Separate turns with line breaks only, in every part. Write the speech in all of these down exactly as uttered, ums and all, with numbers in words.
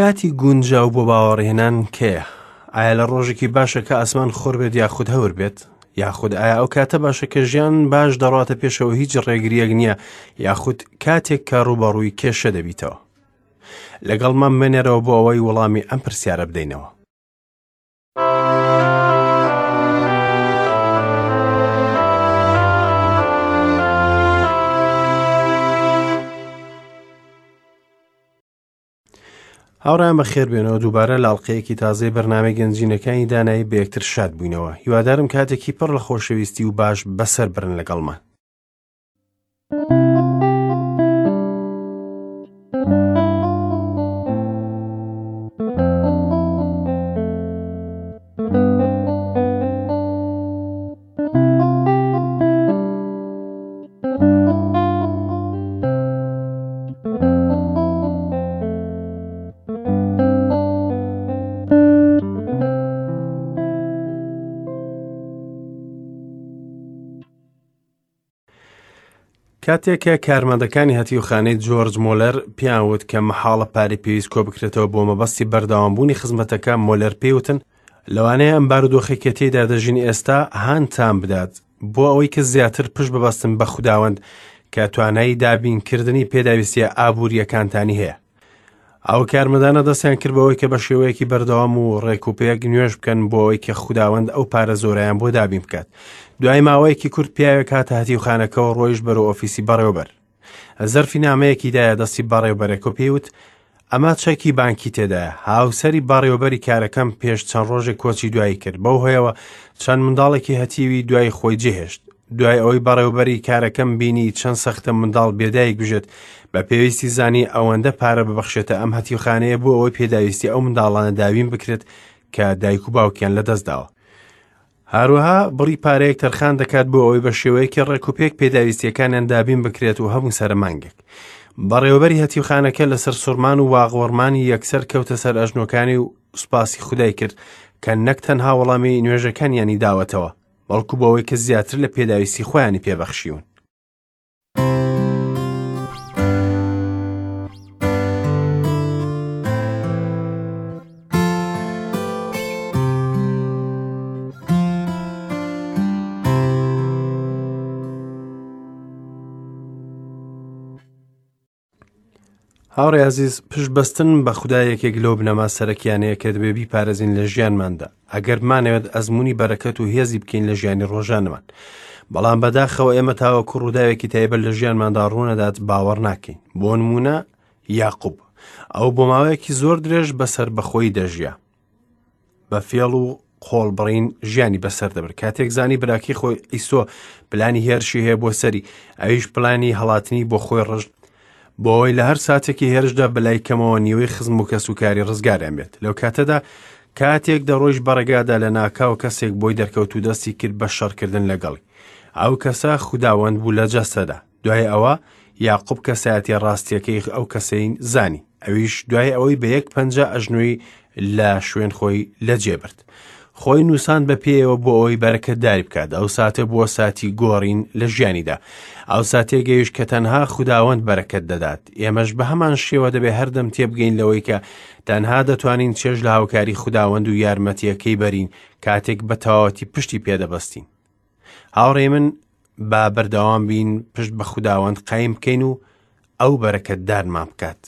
کاتی گونجاو بۆ باوەڕهێنان کێیە؟ ئایا لە ڕۆژێکی باشە کە ئاسمان خۆر بێت یاخود هەور بێت؟ یاخود ئایا ئەو کاتە باشە کە ژیان باش دەڕاتە پێشەوە هیچ ڕێگریەک نییە، یاخود کاتێک کە ڕووبەڕووی کێشە دەبیتەوە؟ لەگەڵمان بمێنەرەوە بۆ ئەوەی وەڵامی ئەم پرسیارە بدەینەوە. هاوڕێیان بەخێربێنەوە دووبارە لە ئەڵقەیەکی تازەی بەرنامەی گەنجینەکانی دانایی بە یەکتر شاد بووینەوە. هیوادارم کاتێکی پڕ لە خۆشەویستی و باش بەسەر برن لەگەڵمان. کاتێک کە کارمەندەکانی هەتیوخانەی جۆرج مۆلەر پێیان وت کە مەحاڵە پارەی پێویست کۆ بکرێتەوە بۆ مەبەستی بەردەوامبوونی خزمەتەکە، مۆلەر پێیوتن لەوانەیە ئەم بارودۆخێک کە تێیدا دەژین ئێستا هانتان بدات بۆ ئەوەی کە زیاتر پشت ببەستن بە خوداوەند کە توانایی دابینکردنی پێداویستیە ئابووریەکانتانی هەیە. ئەو کارمەندانە دەستیان کرد بەوەی کە بە شێوەیەکی بەردەوام و ڕێکوپێک نوێژ بکەن بۆ ئەوەی کە خوداوەند ئەو پارە زۆرەیان بۆ دابین بکات. دوای ماوەیەکی کورت پیاوێک هاتە هەتیوخانەکەەوە ڕۆیشت بەرەو ئۆفیسی بەڕێوەبەر. زەرفی نامەیەکی دایە دەستی بەڕێوەبەرەکە و پێیوت ئەمە چەکی بانکی تێدایە. هاوسەری بەڕێوەبەری کارەکەم پێش چەند ڕۆژێک کۆچی دوایی کرد، بەو هۆیەوە چەند منداڵێکی هەتیوی دوای خۆی جێهێشت. دوای ئەوەی بەڕێوەبەری کارەکەم بینی چەند سەختە منداڵ بێدایک بژێت، بە پێویستی زانی ئەوەندە پارە ببەخشێتە ئەم هەتیوخانەیە بۆ ئەوەی پێداویستی ئەو منداڵانە داوین بکرێت کە دایک و باوکیان لەدەستداوە. هەروەها بڕی پارەیەک تەرخان دەکات بۆ ئەوەی بە شێوەیەکی ڕێکوپێک پێداویستیەکانیان دابین بکرێت و هەموو سەرمانگێک. بەڕێوەبەری هەتیوخانەکە لەسەر سوڕمان و واغوەڕمانی یەکسەر کەوتە سەر ئەژنۆکانی و سوپاسی خودای کرد کە نەک تەنها وەڵامی نوێژەکانیانی داوەتەوە، بەڵکو بۆ ئەوەی کە زیاتر لە پێداویستی خۆیانی پێبەخشیون. هاوڕێ عەزیز، پشت بەستن بە خودا یەکێک لەو بنەما سەرەکیانەیە کە دەبێ بیپارێزین لە ژیانماندا، ئەگەر بمانەوێت ئەزمموی بەرەکەت و هێزی بکەین لە ژیانی ڕۆژانمان. بەڵام بەداخەوە ئێمە تاوەکو ڕووداوێکی تایبەت لە ژیانماندا ڕوونەدات باوەڕ ناکەین. بۆ نمونە یاقوب، ئەو بۆ ماوەیەکی زۆر درێژ بەسەر بەخۆی دەژیا، بە فێڵ و قۆڵبڕین ژیانی بەسەر دەبرد. کاتێک زانی براکەی خۆی ئیسۆ پلانی هێرشی هەیە بۆ سەری، ئەویش پلانی هەڵاتنی بۆ خۆی ڕشت بۆ ئەوەی لە هەر ساتێکی هێرشدا بەلای کەمەوە نیوەی خزم و کەسوکاری ڕزگاریان بێت. لەو کاتەدا کاتێک دەڕۆیشت بەڕێگادا لە ناکاو کەسێک بۆی دەرکەوت و دەستی کرد بە شەڕکردن لەگەڵی. ئەو کەسە خوداوەند بوو لە جەستەدا. دوای ئەوە یاقوب کەسایەتی ڕاستیەکەی ئەو کەسەی زانی، ئەویش دوای ئەوەی بە یەک پەنجە ئەژنۆی لە شوێن خۆی لەجێ برد. خۆی نووساند بە پێیەوە بۆ ئەوەی بەرەکەتداری بکات. ئەو ساتە بووە ساتی گۆڕین لە ژیانیدا، ئەو ساتێ گەیشت کە تەنها خوداوەند بەرەکەت دەدات. ئێمەش بە هەمان شێوە دەبێ هەردەم تێبگەین لەوەی کە تەنها دەتوانین چێژ لە هاوکاری خوداوەند و یارمەتیەکەی بەرین کاتێک بە تەواوەتی پشتی پێدەبەستین. هاوڕێ من، با بەردەوام بین پشت بە خوداوەند قایم بکەین و ئەو بەرەکەتدارمان بکات.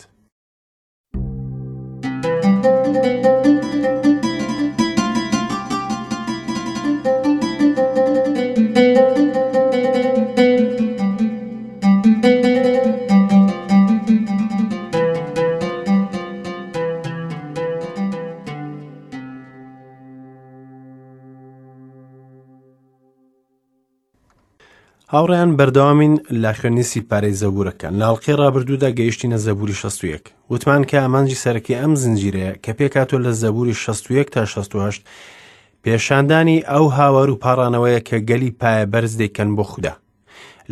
هاوڕێیان بەردەوامین لە خوێندنی سیپارەی زەبوورەکان. لە ئەڵقەی ڕابردوودا گەیشتینە زەبووری شەست و یەک. وتمان کە ئامانجی سەرەکی ئەم زنجیرەیە کە پێکهاتووە لە زەبووری شەست و یەک تا شەست و هەشت پێشاندانی ئەو هاوار و پاڕانەوەیە کە گەلی پایە بەرز دەیکەن بۆ خودا.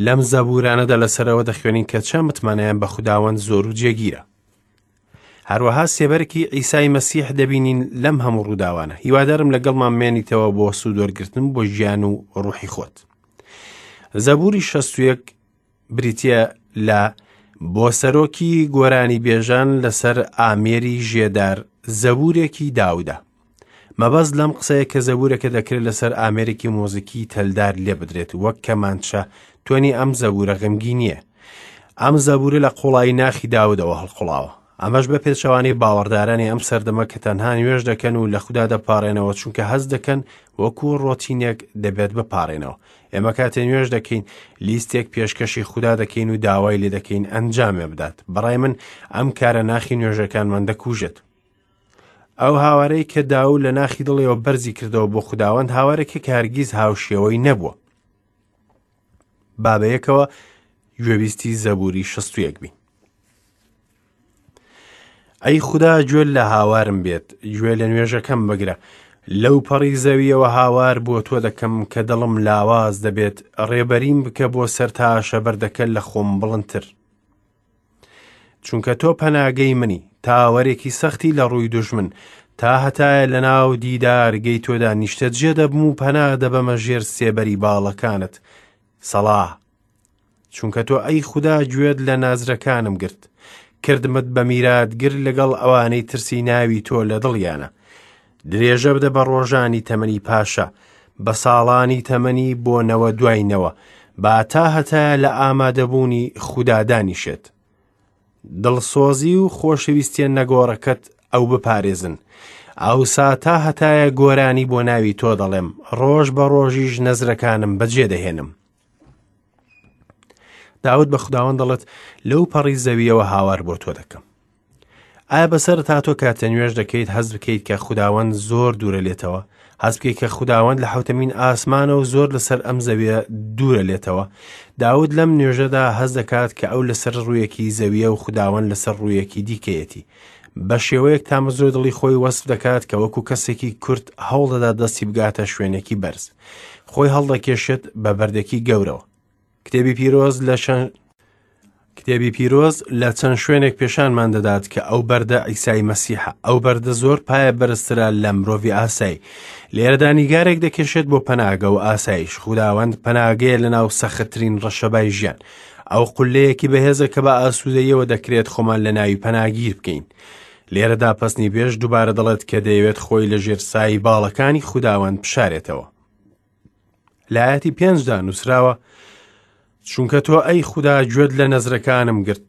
لەم زەبوورانەدا لەسەرەوە دەخوێنین کە چەند متمانەیان بە خوداوەند زۆر و جێگیرە. هەروەها سێبەرێکی عیسای مەسیح دەبینین لەم هەموو ڕووداوانە. هیوادارم لەگەڵمان مێنیتەوە بۆ سوودوەرگرتن بۆ ژیان و ڕوحی خۆت. زەبووری شەست و یەک بریتییە لە بۆ سەرۆکی گۆرانی بێژان لەسەر ئامێری ژێدار زەبورێکی داودە. مەبەست لەم قسەیە کە زەبورەکە دەکرێت لەسەر ئامێرێکی مۆزیکی تەلدار لێ بدرێت، وەک کەمانچە. تۆنی ئەم زەبورە غەمگینییە. ئەم زەبورە لە قوڵایی ناخی داودەوە هەڵقوڵاوە. ئەمەش بە پێچەوانەی باوەڕدارانی ئەم سەردەمە کە تەنها نوێژ دەکەن و لە خودا دەپارێنەوە، چونکە هەست دەکەن وەکو ڕۆتینێک دەبێت بپارێنەوە. ئێمە کاتێ نوێژ دەکەین لیستێک پێشکەشی خودا دەکەین و داوای لێ دەکەین ئەنجامێ بدات. بەڕای من ئەم کارە ناخی نوێژەکانمان دەکوژێت. ئەو هاوارەی کە داود لە ناخی دڵیەوە بەرزی کردەوە بۆ خوداوەند هاوارێکە کە هەرگیز هاوشێوەی نەبووە. با بەیەکەوە گوێبیستی زەبوری شەست و یەک بین. ئەی خودا گوێ لە هاوارم بێت، گوێ لە نوێژەکەم بگرە. لەو پەڕی زەویەوە هاوار بۆ تۆ دەکەم کە دڵم لاواز دەبێت، ڕێبەریم بکە بۆ سەر تاشە بەردەکە لە خۆم بڵندتر. چونکە تۆ پەناگەی منی، تاوەرێکی سەختی لە ڕووی دوژمن، تا هەتایە لە ناو دیدارگەی تۆدا نیشتەجێ دەبم و پەنا دەبەمە ژێر سێبەری باڵەکانت. سەڵا، چونکە تۆ ئەی خودا گوێت لە نازرەکانم گرت، کردمت بە میراتگر لەگەڵ ئەوانەی ترسی ناوی تۆ لە دڵیانە. درێژە بدە بە ڕۆژانی تەمەنی پاشا، بە ساڵانی تەمەنی بۆ نەوە دوای نەوە، با تا هەتایە لە ئامادەبوونی خودا دانیشێت. دڵسۆزی و خۆشەویستیە نەگۆڕەکەت ئەو بپارێزن. ئەوسا تا هەتایە گۆرانی بۆ ناوی تۆ دەڵێم، ڕۆژ بە ڕۆژیش نەزرەکانم بەجێ دەهێنم. داود بە خوداوەند دەڵێت لەو پەڕی زەویەوە هاوار بۆ تۆ دەکەم. ئایا بەسەر تا تۆ کاتە نوێژ دەکەیت هەست بکەیت کە خوداوەند زۆر دوورە لێتەوە؟ هەست بکەیت کە خوداوەند لە حەوتەمین ئاسمانە و زۆر لەسەر ئەم زەویە دوورە لێتەوە؟ داود لەم نوێژەدا هەست دەکات کە ئەو لەسەر ڕوویەکی زەویە و خوداوەند لەسەر ڕوویەکی دیکەیەتی. بە شێوەیەک تامەزرۆ دڵی خۆی وەسف دەکات کە وەکو کەسێکی کورت هەوڵدەدات دەستی بگاتە شوێنێکی بەرز. خۆی هەڵدەکێشێت بە بەردێکی گەورەوە. کتێبی پیرۆز لە چەند کتێبی پیرۆز لە چەند شوێنێک پێشانمان دەدات کە ئەو بەردە عیسای مەسیحە. ئەو بەردە زۆر پایە بەرزترە لە مرۆڤی ئاسایی. لێرەدا نیگارێک دەکێشێت بۆ پەناگە و ئاسایش. خوداوەند پەناگەیە لەناو سەختترین ڕەشەبای ژیان. ئەو قولەیەکی بەهێزە کە بە ئاسوودەیەوە دەکرێت خۆمان لە ناوی پەناگیر بکەین. لێرەدا پەسنی بێژ دووبارە دەڵێت کە دەیەوێت خۆی لە ژێر سای باڵەکانی خوداوەند بشارێتەوە. لە ئایەتی پێنجدا نووسراوە چونکە تۆ ئەی خودا گوێت لە نەزرەکانم گرت،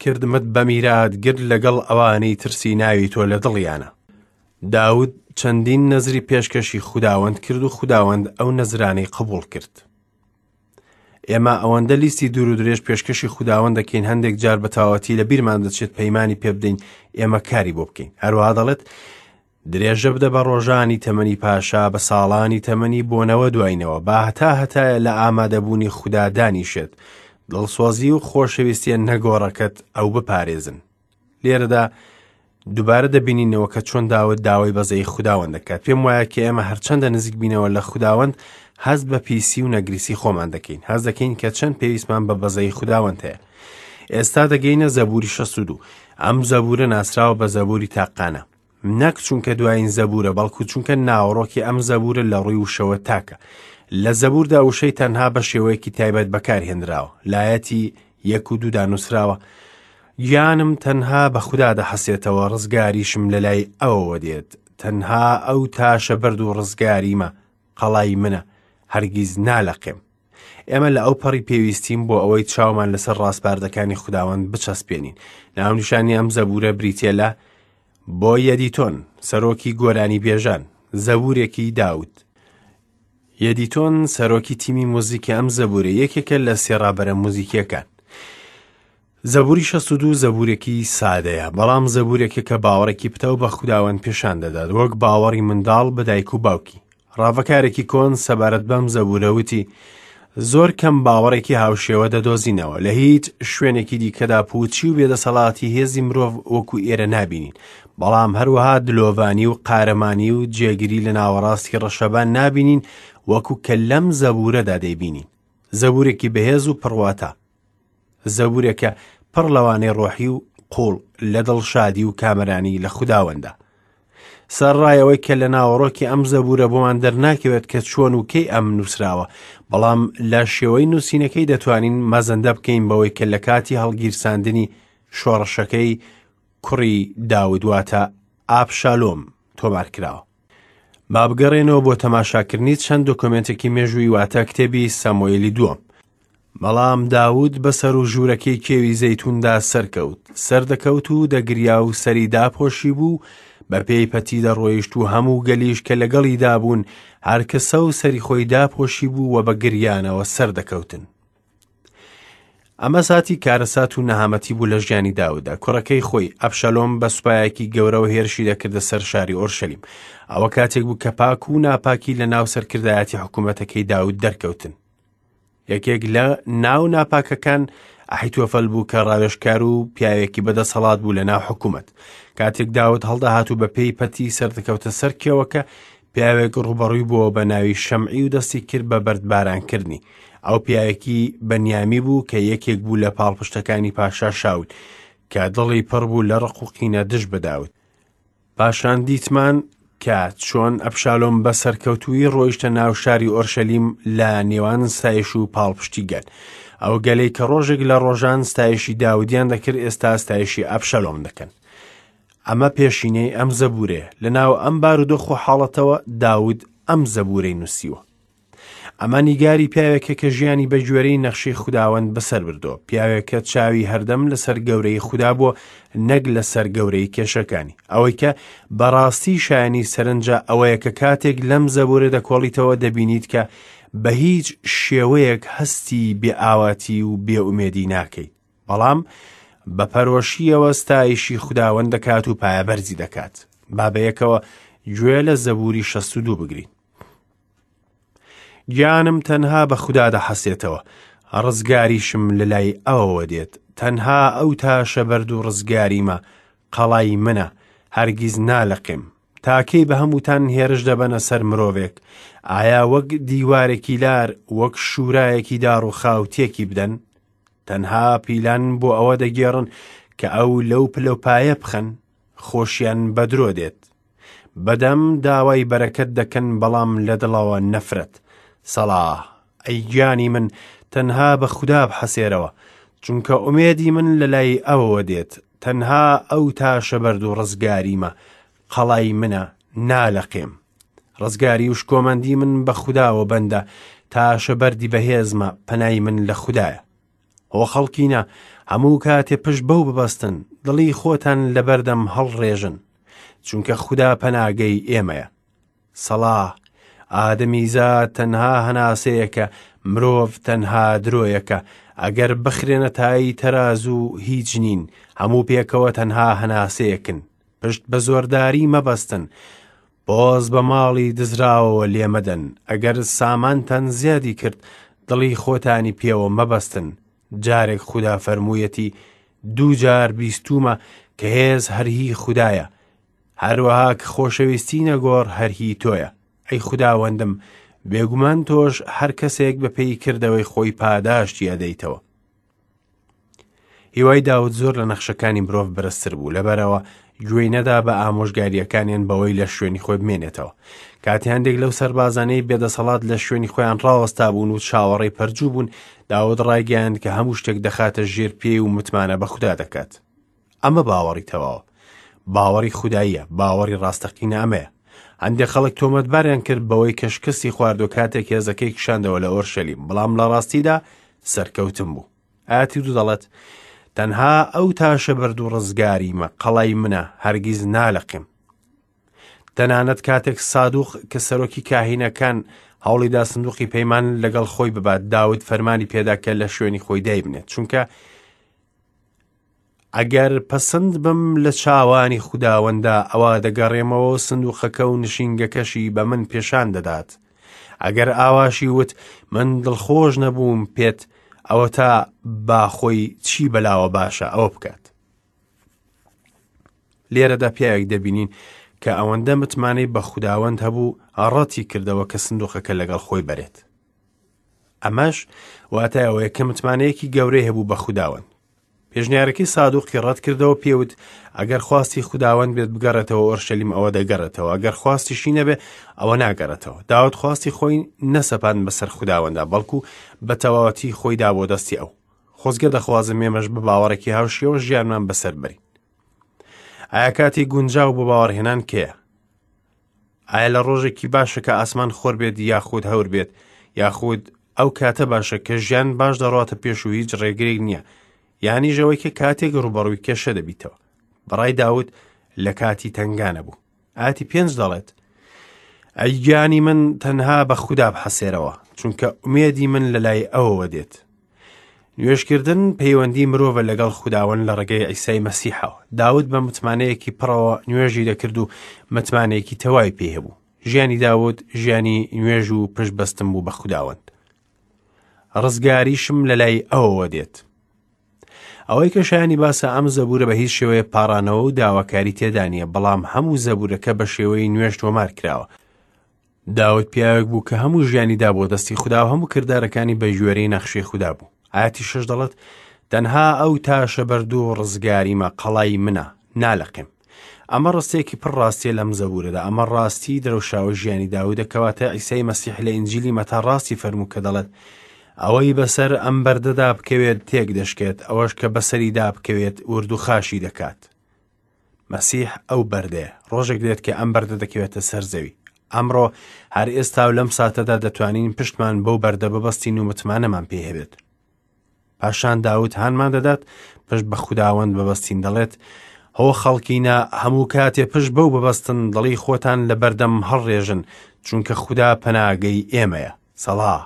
کردمت بە میراتگر لەگەڵ ئەوانەی ترسی ناوی تۆ لە دڵیانە. داود چەندین نەزری پێشکەشی خوداوەند کرد و خوداوەند ئەو نەزرانەی قبوڵ کرد. ئێمە ئەوەندە لیستی دوور و درێژ پێشکەشی خوداوەند دەکەین هەندێک جار بە تەواوەتی لە بیرمان دەچێت پەیمانی پێ بدەین ئێمە کاری بۆ بکەین. هەروەها دەڵێت درێژە بدە بە ڕۆژانی تەمەنی پاشا، بە ساڵانی تەمەنی بۆ نەوە دوای نەوە، با هەتا هەتایە لە ئامادەبوونی خودا دانیشێت. دڵسۆزی و خۆشەویستیە نەگۆڕەکەت ئەو بپارێزن. لێرەدا دووبارە دەبینینەوە کە چۆن داود داوای بەزەی خوداوەند دەکات. پێم وایە کە ئێمە هەرچەندە نزیک بینەوە لە خوداوەند هەست بە پیسی و نەگریسی خۆمان دەکەین، هەست دەکەین کە چەند پێویستمان بە بەزەی خوداوەند هەیە. ئێستا دەگەینە زەبوری شەست و دوو. ئەم زەبورە ناسراوە بە زەبوری تاقانە، نەک چونکە دوایین زەبورە، بەڵکو چونکە ناوەڕۆکی ئەم زەبورە لە ڕووی وشەوە تاکە. لە زەبوردا وشەی تەنها بە شێوەیەکی تایبەت بەکارهێنراوە. لایەتی یەک و دوودا نووسراوە گیانم تەنها بە خودا دەحەسێتەوە، ڕزگاریشم لە لای ئەوەوە دێت. تەنها ئەو تاشە بەرد و ڕزگاریمە، قەڵای منە، هەرگیز نالەقێم. ئێمە لە ئەو پەڕی پێویستیم بۆ ئەوەی چاومان لەسەر ڕاسپاردەکانی خوداوەند بچەسپێنین. ناونیشانی ئەم زەبورە بریتیە لە بۆ یەدیتۆن، سەرۆکی گۆرانی بێژان، زەبورێکی داود. یەدیتۆن سەرۆکی تیمی موزیکی ئەم زەبورە یەکێکە لە سێ ڕابەرە موزیکیەکان. زەبوری شەست و دوو زەبورێکی سادەیە، بەڵام زەبورێکە کە باوەڕێکی پتەو بە خوداوەند پێشان دەدات، وەک باوەڕی منداڵ بە دایک و باوکی. ڕاڤەکارێکی کۆن سەبارەت بەم زەبورە وتی زۆر کەم باوەڕێکی هاوشێوە دەدۆزینەوە، لە هیچ شوێنێکی دیکەدا پوچی و بێدەسەڵاتی هێزی مرۆڤ وەکو ئێرە نابینین، بەڵام هەروەها دلۆڤانی و قارەمانی و جێگیری لە ناوەڕاستی ڕەشەبان نابینین وەکو کە لەم زەبورەدا دەیبینین. زەبورێکی بەهێز و پڕواتە، زەبورێکە پڕ لەوانەی ڕۆحی و قوڵ لە دڵشادی و کامەرانی لە خوداوەندە. سەرڕای ئەوەی کە لە ناوەڕۆکی ئەم زەبوورە بۆمان دەرناکەوێت کە چۆن و کەی ئەم نووسراوە، بەڵام لە شێوەی نووسینەکەی دەتوانین مەزەندە بکەین بەوەی کە لە کاتی هەڵگیرساندنی شۆڕشەکەی کوڕی داود واتە ئابشالۆم تۆمار کراوە. با بگەڕێنەوە بۆ تەماشاکردنی چەند دۆکۆمێنتێکی مێژووی واتە کتێبی ساموئێلی دووەم. بەڵام داود بەسەر و ژوورەکەی کێوی زەیتوندا سەرکەوت، سەردەکەوت و دەگریا و سەری داپۆشی بوو، بە پێی پەتی دەڕۆیشت و هەموو گەلیش کە لەگەڵیدا بوون هەر کەسە و سەری خۆی داپۆشی بوو و بە گریانەوە سەردەکەوتن. ئەمە ساتی کارەسات و نەهامەتی بوو لە ژیانی داووددا. کوڕەکەی خۆی ئەبشالۆم بە سوپایەکی گەورەوە هێرشی دەکردە سەر شاری ئۆرشەلیم. ئەوە کاتێک بوو کە پاک و ناپاکی لە ناو سەرکردایەتی حکوومەتەکەی داود دەرکەوتن. یەکێک لە ناو ناپاکەکان ئەحیتۆفەل بوو کە ڕاوێژکار و پیاوێکی بەدەسەڵات بوو لە ناو حکوومەت. کاتێک داود هەڵدەهات و بە پێی پەتی سەردەکەوتە سەر کێوەکە، پیاوێک ڕووبەڕووی بووە بە ناوی شەمعی و دەستی کرد بە بەردبارانکردنی. ئەو پیاوێکی بەنیامی بوو کە یەکێک بوو لە پاڵپشتەکانی پاشا شاول کە دڵی پڕ بوو لە ڕق و قینە دژ بە داود. پاشان دیتمان کە چۆن ئەبشالۆم بە سەرکەوتوویی ڕۆیشتە ناو شاری ئۆرشەلیم لە نێوان ستایش و پاڵپشتی گەل. ئەو گەلەی کە ڕۆژێک لە ڕۆژان ستایشی داودیان دەکرد ئێستا ستایشی ئەبشالۆم دەکەن. ئەمە پێشینەی ئەم زەبوورەیە. لەناو ئەم بارودۆخ و حاڵەتەوە داود ئەم زەبوورەی نووسیوە. ئەمە نیگاری پیاوێکە کە ژیانی بە گوێرەی نەخشەی خوداوەند بەسەر بردووە، پیاوێکە چاوی هەردەم لەسەر گەورەی خودا بووە نەک لەسەر گەورەی کێشەکانی. ئەوەی کە بەڕاستی شایانی سەرنجە ئەوەیە کە کاتێک لەم زەبوورە دەکۆڵیتەوە دەبینیت کە بە هیچ شێوەیەک هەستی بێئاواتی و بێئومێدی ناکەیت، بەڵام بە پەرۆشیەوە ستایشی خوداوەند دەکات و پایەبەرزی دەکات. با بەیەکەوە گوێ لە زەبووری شەست و دوو بگرین. گیانم تەنها بە خودا دەحەسێتەوە، ڕزگاریشم لەلای ئەوەوە دێت. تەنها ئەو تاشە بەرد و ڕزگاریمە، قەڵای منە، هەرگیز نالەقێم. تاکەی بە هەمووتان هێرش دەبەنە سەر مرۆڤێک، ئایا وەک دیوارێکی لار، وەک شوورایەکی داڕووخاو تێکی بدەن؟ تەنها پیلان بۆ ئەوە دەگێڕن کە ئەو لەو پلەپایە بخەن، خۆشیان بە درۆ دێت. بەدەم داوای بەرەکەت دەکەن، بەڵام لە دڵەوە نەفرەت. سەڵا، ئەی گیانی من تەنها بە خودا بحەسێرەوە، چونکە ئومێدی من لەلای ئەوەوە دێت. تەنها ئەو تاشە بەرد و ڕزگاریمە، قەڵای منە، نالەقێم. ڕزگاری و شکۆمەندی من بە خوداوە بەندە، تاشە بەردی بەهێزمە، پەنای من لە خودایە. هۆ خەڵکینە، هەموو کاتێ پشت بەو ببەستن، دڵی خۆتان لەبەردەم هەڵڕێژن، چونکە خودا پەناگەی ئێمەیە. سەڵا، ئادەمیزاد تەنها هەناسەیەکە، مرۆڤ تەنها درۆیەکە. ئەگەر بخرێنە تای تەرازوو هیچ نین، هەموو پێکەوە تەنها هەناسەیەکن. پشت بە زۆرداری مەبەستن، بۆز بە ماڵی دزراوەوە لێمەدەن. ئەگەر سامانتان زیادی کرد، دڵی خۆتانی پێوە مەبەستن. جارێک خودا فەرموویەتی، دوو جار بیستوومە کە هێز هەر هی خودایە، هەروەها کە خۆشەویستی نەگۆڕ هەر هی تۆیە. ئەی خوداوەندم، بێگومان تۆش هەر کەسێک بە پێی کردەوەی خۆی پاداشتی ئەدەیتەوە. هیوای داود زۆر لە نەخشەکانی مرۆڤ بەرزتر بوو، لەبەرەوە گوێی نەدا بە ئامۆژگاریەکانیان بەوەی لە شوێنی خۆی بمێنێتەوە. کاتی هەندێک لەو سەربازانەی بێدەسەڵات لە شوێنی خۆیان ڕاوەستا بوون و چاوەڕێی پەرجوو بوون، داود ڕایگەیاند کە هەموو شتێک دەخاتە ژێر پێی و متمانە بە خودا دەکات. ئەمە باوەڕی تەواوە، باوەڕی خوداییە، باوەڕی ڕاستەقینە ئەمەیە. هەندێک خەڵک تۆمەتباریان کرد بەوەی کە شکستی خواردوە کاتێک هێزەکەی کشاندەوە لە ئۆرشەلیم، بەڵام لە ڕاستیدا سەرکەوتن بوو. ئاتی دوو دەڵێت، تەنها ئەو تاشە بەرد و ڕزگاریمە، قەڵای منە، هەرگیز نالەقێم. تەنانەت کاتێک سادوق کە سەرۆکی کاهینەکان هەوڵیدا سندوقی پەیمان لەگەڵ خۆی ببات، داود فەرمانی پێدا کە لە شوێنی خۆی دایبنێت، چونکە ئەگەر پەسەند بم لە چاوانی خوداوەندا، ئەوە دەگەڕێمەوە سندوقەکە و نشینگەکەشی بە من پێشان دەدات. ئەگەر ئاواشی وت من دڵخۆش نەبووم پێت، ئەوە تا با خۆی چی بەلاوە باشە ئەوە بکات. لێرەدا پیاوێک دەبینین کە ئەوەندە متمانەی بە خوداوەند هەبوو، ڕەتی کردەوە کە سندوقەکە لەگەڵ خۆی بەرێت. ئەمەش واتای ئەوەیە کە متمانەیەکی گەورەی هەبوو بە خوداوەند. پێشنیارەکەی سادوقی ڕەت کردەوە، پێوت ئەگەر خواستی خوداوەند بێت بگەڕێتەوە ئۆرشەلیم ئەوە دەگەڕێتەوە، ئەگەر خواستیشی نەبێ ئەوە ناگەڕێتەوە. داود خواستی خۆی نەسەپاند بەسەر خوداوەندا، بەڵکو بە تەواوەتی خۆی دا بۆ دەستی ئەو. خۆزگە دەخوازم ئێمەش بە باوەڕێکی هاوشێوە ژیانمان بەسەر بەرین. ئایا کاتی گونجاو بۆ باوەڕهێنان کێیە؟ ئایا لە ڕۆژێکی باشە کە ئاسمان خۆر بێت یاخود هەور بێت، یاخود ئەو کاتە باشە کە ژیان باش دەڕواتە پێش و هیچ ڕێگرێک نییە، یانیش ئەوەی کە کاتێک ڕووبەڕووی کێشە دەبیتەوە؟ بەڕای داود لە کاتی تەنگانە بوو. ئاتی پێنج دەڵێت ئەی گیانی من تەنها بە خودا بحەسێرەوە، چونکە ئومێدی من لە لای ئەوەوە دێت. نوێژکردن پەیوەندی مرۆڤە لەگەڵ خوداوەند لە ڕێگەی عیسای مەسیحەوە. داود بە متمانەیەکی پڕەوە نوێژی دەکرد و متمانەیەکی تەواوی پێی هەبوو. ژیانی داود ژیانی نوێژ و پشتبەستن بوو بە خوداوەند. ڕزگاریشم لە لای ئەوەوە دێت. ئەوەی کە شایانی باسە ئەم زەبوورە بە هیچ شێوەیە پاڕانەوە و داواکاری تێدا نییە، بەڵام هەموو زەبوورەکە بە شێوەی نوێژ تۆمار کراوە. داود پیاوێک بوو کە هەموو ژیانی دا بۆ دەستی خودا و هەموو کردارەکانی بە گوێرەی نەخشەی خودا بوو. ئاەتی شەش دەڵێت تەنها ئەو تاشە بەرد و ڕزگاریمە، قەڵای منە، نالەقێم. ئەمە ڕستەیەکی پڕ ڕاستیە لەم زەبوورەدا. ئەمە ڕاستی درەوشاوە ژیانی داودە، کەواتە عیسای مەسیح لە ئینجیلی مەتا ڕاستی فەرموو کە دەڵێت ئەوەی بەسەر ئەم بەردەدا بکەوێت تێک دەشکێت، ئەوەش کە بەسەریدا بکەوێت ورد و خاشی دەکات. مەسیح ئەو بەردەیە. ڕۆژێک دێت کە ئەم بەردە دەکەوێتە سەر زەوی. ئەمڕۆ هەر ئێستا و لەم ساتەدا دەتوانین پشتمان بەو بەردە ببەستین و متمانەمان پێ هەبێت. پاشان داود هانمان دەدات پشت بە خوداوەند ببەستین. دەڵێت هۆ خەڵکینە هەموو کاتێ پشت بەو ببەستن، دڵی خۆتان لە بەردەم هەڵڕێژن، چونکە خودا پەناگەی ئێمەیە. سەڵا.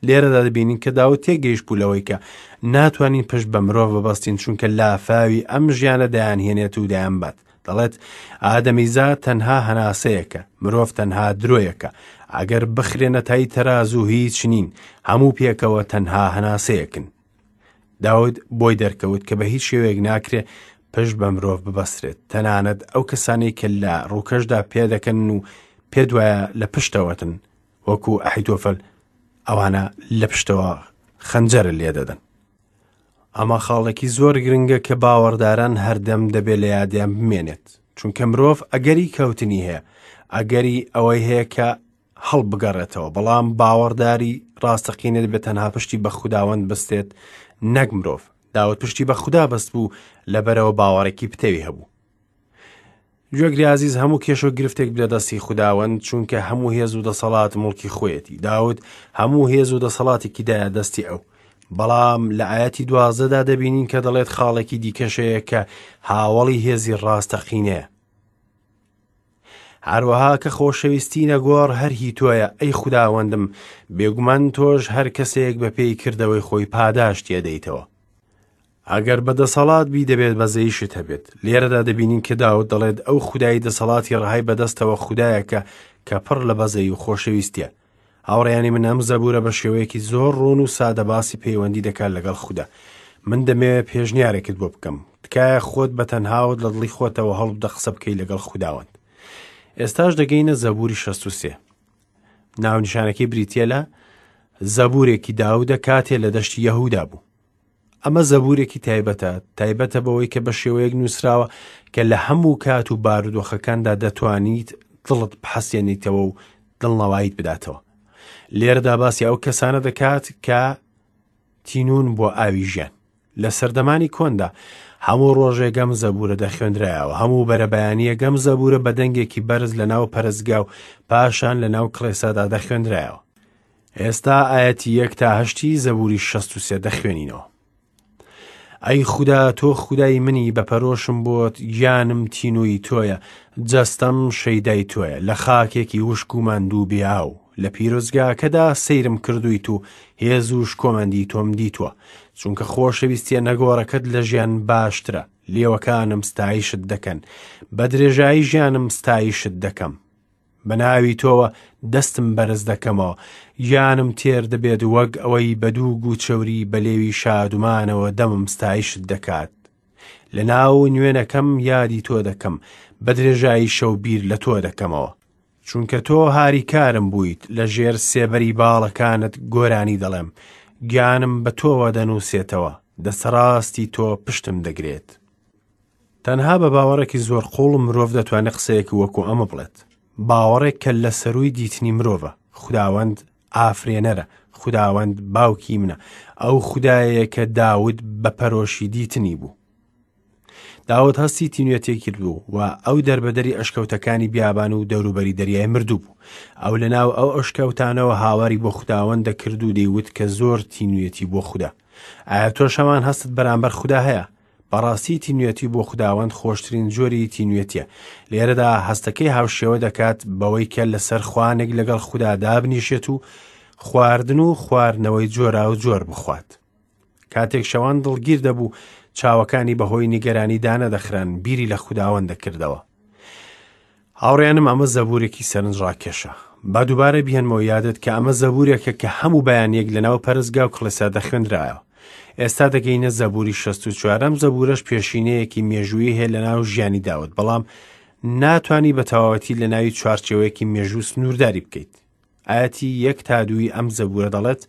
لێرەدا دەبینین کە داود تێگەیشت بوو لەوەی کە ناتوانین پشت بە مرۆڤ ببەستین، چونکە لافاوی ئەم ژیانە دەیانهێنێت و دەیانبات. دەڵێت ئادەمیزا تەنها هەناسەیەکە، مرۆڤ تەنها درۆیەکە، ئەگەر بخرێنە تای تەرازوو هیچ نین، هەموو پێکەوە تەنها هەناسەیەکن. داود بۆی دەرکەوت کە بە هیچ شێوەیەک ناکرێ پشت بە مرۆڤ ببەسترێت، تەنانەت ئەو کەسانەی کە لە ڕووکەشدا پێدەکەن و پێدوایە لە پشتەوەتن، وەکو ئەحیتۆفەل، ئەوانە لە پشتەوە خەنجەرە لێدەدەن. ئەمە خاڵێکی زۆر گرنگە کە باوەڕداران هەردەم دەبێت لە یادیان بمێنێت، چونکە مرۆڤ ئەگەری کەوتنی هەیە، ئەگەری ئەوەی هەیە کە هەڵبگەڕێتەوە، بەڵام باوەڕداری ڕاستەقینە دەبێت تەنها پشتی بە خوداوەند بەستێت نەک مرۆڤ. داود پشتی بە خودا بەست بوو، لەبەرەوە باوەڕێکی پتەوی هەبوو. گوێگری عزیز، هەموو کێشە و گرفتێک بدە دەستی خوداوەند، چونکە هەموو هێز و دەسەڵات مڵکی خۆیەتی. داود هەموو هێز و دەسەڵاتێکی دایە دەستی ئەو. بەڵام لە ئاەتی دوازدەدا دەبینین کە دەڵێت خاڵێکی دیکەشەیە کە هاوەڵی هێزی ڕاستەقینەیە. هەروەها کە خۆشەویستی نەگۆڕ هەر هی تۆیە، ئەی خوداوەندم، بێگومان تۆش هەر کەسێک بە پێی کردەوەی خۆی پاداشتی ئەدەیتەوە. ئەگەر بە دەسەڵات بی دەبێت بەزەیشت هەبێت. لێرەدا دەبینین کە داود دەڵێت ئەو خودای دەسەڵاتی ڕەهای بەدەستەوە خودایەکە کە پڕ لە بەزەی و خۆشەویستیە. هاوڕێیانی من، ئەم زەبوورە بە شێوەیەکی زۆر ڕوون و سادە باسی پەیوەندی دەکات لەگەڵ خودا. من دەمەوێت پێشنیارێکت بۆ بکەم. تکایە خۆت بە تەنهاوت لە دڵی خۆتەوە هەڵبدە قسە بکەی لەگەڵ خوداوەند. ئێستاش دەگەینە زەبووری شەست و سێ. ناونیشانەکەی بریتیە لە زەبوورێکی داودە کاتێ لە دەشتی یەهودا بوو. ئەمە زەبوورێکی تایبەتە، تایبەتە بەوەی کە بە شێوەیەک نووسراوە کە لە هەموو کات و بارودۆخەکاندا دەتوانیت دڵت بحەسێنیتەوە و دڵنەواییت بداتەوە. لێرەدا باسی ئەو کەسانە دەکات کە تینون بۆ ئاوی ژیان. لە سەردەمانی کۆندا هەموو ڕۆژێک ئەم زەبوورە دەخوێندرایەوە، هەموو بەرەبەیانییەک ئەم زەبوورە بە دەنگێکی بەرز لەناو پەرستگا و پاشان لەناو کڵێسادا دەخوێندرایەوە. ئێستا ئایەتی یەک تا هەشتی زەبووری شەست و سێ دەخوێنینەوە. ئەی خودا، تۆ خودای منی، بە پەرۆشم بۆت، گیانم تینووی تۆیە، جەستەم شەیدای تۆیە، لە خاکێکی وشک و ماندوو بێ ئاو. لە پیرۆزگاکەدا سەیرم کردوویت و هێز و شکۆمەندی تۆم دیتووە، چونکە خۆشەویستیە نەگۆڕەکەت لە ژیان باشترە. لێوەکانم ستایشت دەکەن، بە درێژایی ژیانم ستایشت دەکەم. بە ناوی تۆوە دەستم بەرز دەکەمەوە، گیانم تێر دەبێت وەک ئەوەی بە دوو گوچەوری بە لێوی شادومانەوە دەمم ستایشت دەکات. لە ناو نوێنەکەم یادی تۆ دەکەم، بە درێژایی شەو بیر لە تۆ دەکەمەوە، چونکە تۆ هاریکارم بوویت، لە ژێر سێبەری باڵەکانت گۆرانی دەڵێم، گیانم بە تۆوە دەنووسێتەوە. دەستڕاستی تۆ پشتم دەگرێت. تەنها بە باوەڕێکی زۆر قوڵ مرۆڤ دەتوانێت قسەیەکی وەکو ئەمە بڵێت، باوەڕێک کە لە سەرووی دیتنی مرۆڤە. خوداوەند ئافرێنەرە، خوداوەند باوکی منە، ئەو خودایەیە کە داود بە پەرۆشی دیتنی بوو. داود هەستی تینوێتی کردبوو و ئەو دەربەدەری ئەشکەوتەکانی بیابان و دەوروبەری دەریای مردوو بوو. ئەو لەناو ئەو ئەشکەوتانەوە هاواری بۆ خوداوەند دەکرد و دەیوت کە زۆر تینوێتی بۆ خودا. ئایا تۆش هەمان هەستت بەرامبەر خودا هەیە؟ بەڕاستی تینوێتی بۆ خوداوەند خۆشترین جۆری تینوێتیە. لێرەدا هەستەکەی هاوشێوە دەکات بەوەی کە لەسەر خوانێک لەگەڵ خودا دابنیشێت و خواردن و خواردنەوەی جۆرا و جۆر بخوات. کاتێک شەوان دڵگیر دەبوو، چاوەکانی بەهۆی نیگەرانی دانەدەخران، بیری لە خوداوەند دەکردەوە. هاوڕێیانم، ئەمە زەبورێکی سەرنجڕاکێشە. با دووبارە بهێنمەوە یادت کە ئەمە زەبورێکە کە هەموو بەیانیەک لەناو پەرستگا و کڵێسا دەخوێندرایەوە. ئێستا دەگەینە زەبوری شەست و چوارەم. زەبورەش پێشینەیەکی مێژوویی هەیە لەناو ژیانی داود، بەڵام ناتوانی بە تەواوەتی لەناوی چوارچێوەیەکی مێژوو سنوورداری بکەیت. ئاەتی یەک تا دووی ئەم زەبورە دەڵێت: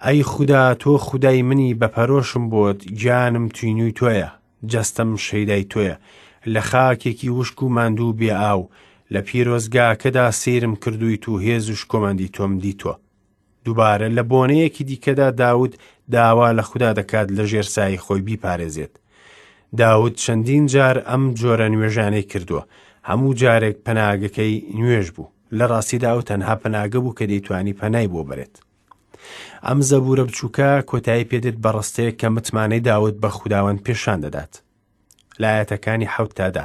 ئەی خودا، تۆ خودای منی، بە پەرۆشم بۆت، گیانم تینووی تۆیە، جەستەم شەیدای تۆیە، لە خاکێکی وشک و ماندوو بێ ئاو، لە پیرۆزگاکەدا سەیرم کردوویت و هێز و شکۆمەندی تۆم دیتووە. دووبارە لە بۆنەیەکی دیکەدا داود داوا لە خودا دەکات لە ژێر سایەی خۆی بیپارێزێت. داود چەندین جار ئەم جۆرە نوێژانەی کردووە، هەموو جارێک پەناگەکەی نوێژ بوو. لە ڕاستیدا ئەو تەنها پەناگە بوو کە دەیتوانی پەنای بۆ بەرێت. ئەم زەبورە بچووکە کۆتایی پێدێت بە ڕستەیەک کە متمانەی داود بە خوداوەند پێشان دەدات. لە ئایەتەکانی حەوت تا دە: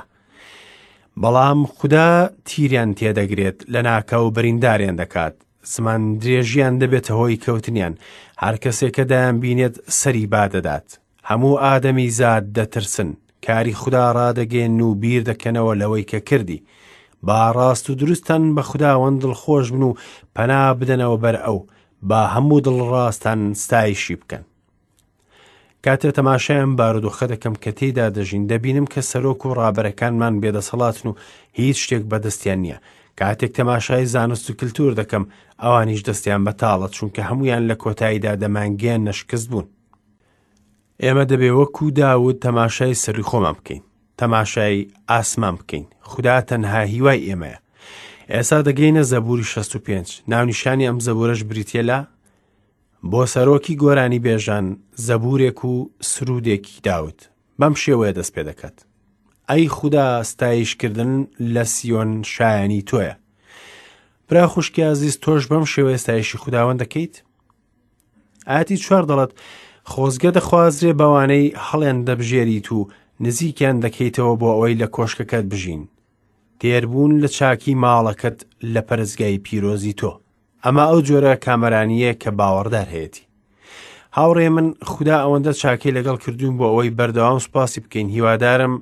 بەڵام خودا تیریان تێدەگرێت، لە ناکاو برینداریان دەکات، زمان درێژیان دەبێتە هۆی کەوتنیان، هەر کەسێک کە دایان بینێت سەری بادەدات. هەموو ئادەمی زاد دەترسن، کاری خودا ڕادەگەێن و بیر دەکەنەوە لەوەی کە کردی. با ڕاست و دروستان بە خوداوەند دڵخۆش بن و پەنا بدەنەوە بەر ئەو، با هەموو دڵڕاستان ستایشی بکەن. کاتێ تەماشایان بارودۆخە دەکەم کە تێیدا دەژین، دەبینم کە سەرۆک و ڕابەرەکانمان بێدەسەڵاتن و هیچ شتێک بەدەستیان نییە. کاتێک تەماشای زانست و کلتور دەکەم، ئەوانیش دەستیان بەتاڵە، چونکە هەمویان لە کۆتاییدا دەمانگەیان نەشکست بوون. ئێمە دەبێ وەکو داود تەماشای سەروی خۆمان بکەین، تەماشای ئاسمان بکەین. خودا تەنها هیوای ئێمەیە. ئێستا دەگەینە زەبوری شەست و پێنج. ناونیشانی ئەم زەبورەش بریتیە لە بۆ سەرۆکی گۆرانی بێژان زەبورێک و سرودێکی داود. بەم شێوەیە دەست پێ دەکات: ئەی خودا، ستایشکردن لە سیۆن شایانی تۆیە. برا خوشکی ئازیز، تۆش بەم شێوەیە ستایشی خوداوەند دەکەیت؟ ئاەتی چوار دەڵێت: خۆزگە دەخوازرێ بەوانەی هەڵێن دەبژێریت و نزیکیان دەکەیتەوە بۆ ئەوەی لە کۆشکەکەت بژین، تێربوون لە چاکی ماڵەکەت لە پەرستگای پیرۆزی تۆ. ئەمە ئەو جۆرە کامەرانییە کە باوەڕدار هەیەتی. هاوڕێ من، خودا ئەوەندە چاکەی لەگەڵ کردوون بۆ ئەوەی بەردەوام سوپاسی بکەین. هیوادارم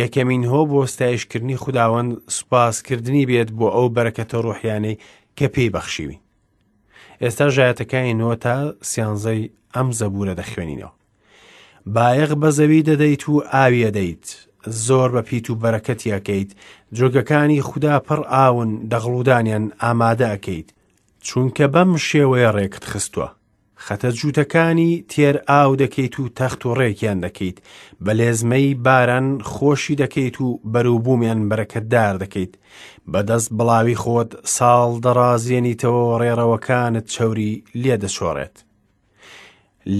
یەکەمین هۆ بۆ ستایشکردنی خوداوەند سوپاسکردنی بێت بۆ ئەو بەرەکەتە ڕۆحیانەی کە پێی بەخشیوین. ئێستا ژایەتەکانی نۆ تا سیانزەی ئەم زەبورە دەخوێنینەوە. بایەخ بە زەوی دەدەیت و ئاوی ئەدەیت، زۆر بە پیت و بەرەکەتی ئەکەیت، جۆگەکانی خودا پڕ ئاون، دەغڵودانیان ئامادە ئەکەیت، چونکە بەم شێوەیە ڕێکت خستووە. خەتە جووتەکانی تێر ئاو دەکەیت و تەخت و ڕێکیان دەکەیت، بە لێزمەی باران خۆشی دەکەیت و بەروبوومیان بەرەکەتدار دەکەیت. بەدەست بڵاوی خۆت ساڵ دەڕازێنیتەوە، ڕێڕەوەکانت چەوری لێ دەچۆڕێت.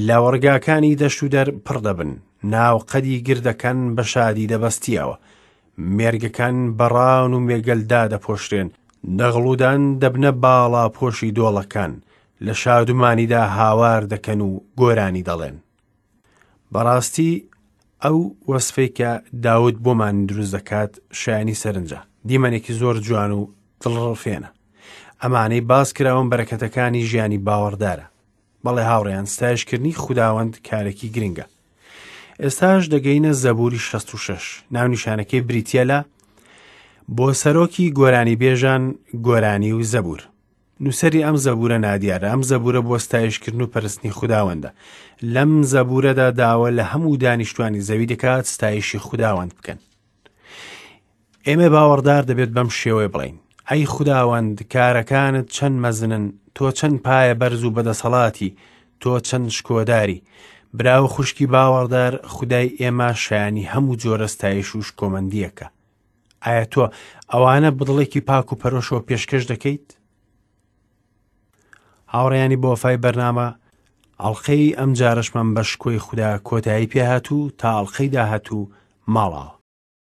لە وەڕگاکانی دەشت و دەر پڕ دەبن، ناو قەدی گردەکان بە شادی دەبەستیەوە، مێرگەکان بەڕان و مێگەلدا دەپۆشرێن، دەغڵودان دەبنە باڵا پۆشی دۆڵەکان، لە شادومانیدا هاوار دەکەن و گۆرانی دەڵێن. بەڕاستی ئەو وەسفەی کە داود بۆمان دروست دەکات شایانی سەرنجە، دیمەنێکی زۆر جوان و دڵڕفێنە. ئەمانەی باس کراون بەرەکەتەکانی ژیانی باوەڕدارە. بەڵێ هاوڕێیان، ستایشکردنی خوداوەند کارێکی گرنگە. ئێستاش دەگەینە زەبوری شەست و شەش. ناونیشانەکەی بریتیە لە بۆ سەرۆکی گۆرانی بێژان گۆرانی و زەبور. نووسەری ئەم زەبورە نادیارە. ئەم زەبورە بۆ ستایشکردن و پەرستنی خوداوەندە. لەم زەبورەدا داوا لە هەموو دانیشتوانی زەوی دەکات ستایشی خوداوەند بکەن. ئێمە باوەڕدار دەبێت بەم شێوەیە بڵێین: ئەی خوداوەند، کارەکانت چەند مەزنن، تۆ چەند پایە بەرز و بەدەسەڵاتی، تۆ چەند شکۆداری. برا و خوشکی باوەڕدار، خودای ئێمە شایانی هەموو جۆرە ستایش و شکۆمەندییەکە. ئایا تۆ ئەوانە بەدڵێکی پاک و پەرۆشەوە پێشکەش دەکەیت؟ هاوڕێیانی بۆفای بەرنامە، ئەڵقەی ئەم جارەشمان بە شکۆی خودا کۆتایی پێهات و تا ئەڵقەی داهاتوو ماڵاوە.